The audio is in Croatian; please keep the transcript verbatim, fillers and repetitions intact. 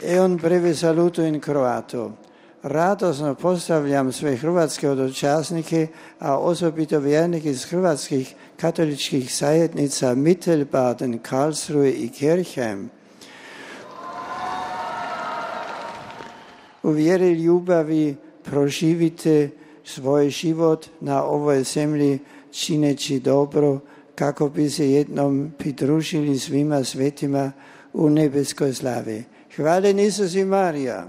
E on breve saluto in croato. Radosno pozdravljam sve hrvatske hodočasnike, a osobito vjernike iz hrvatskih katoličkih zajednica Mittelbaden, Karlsruhe i Kirchheim. U vjeri ljubavi proživite svoj život na ovoj zemlji čineći dobro, kako bi se jednom pridružili svima svetima u nebeskoj slavi. Hvala Isus i Marija.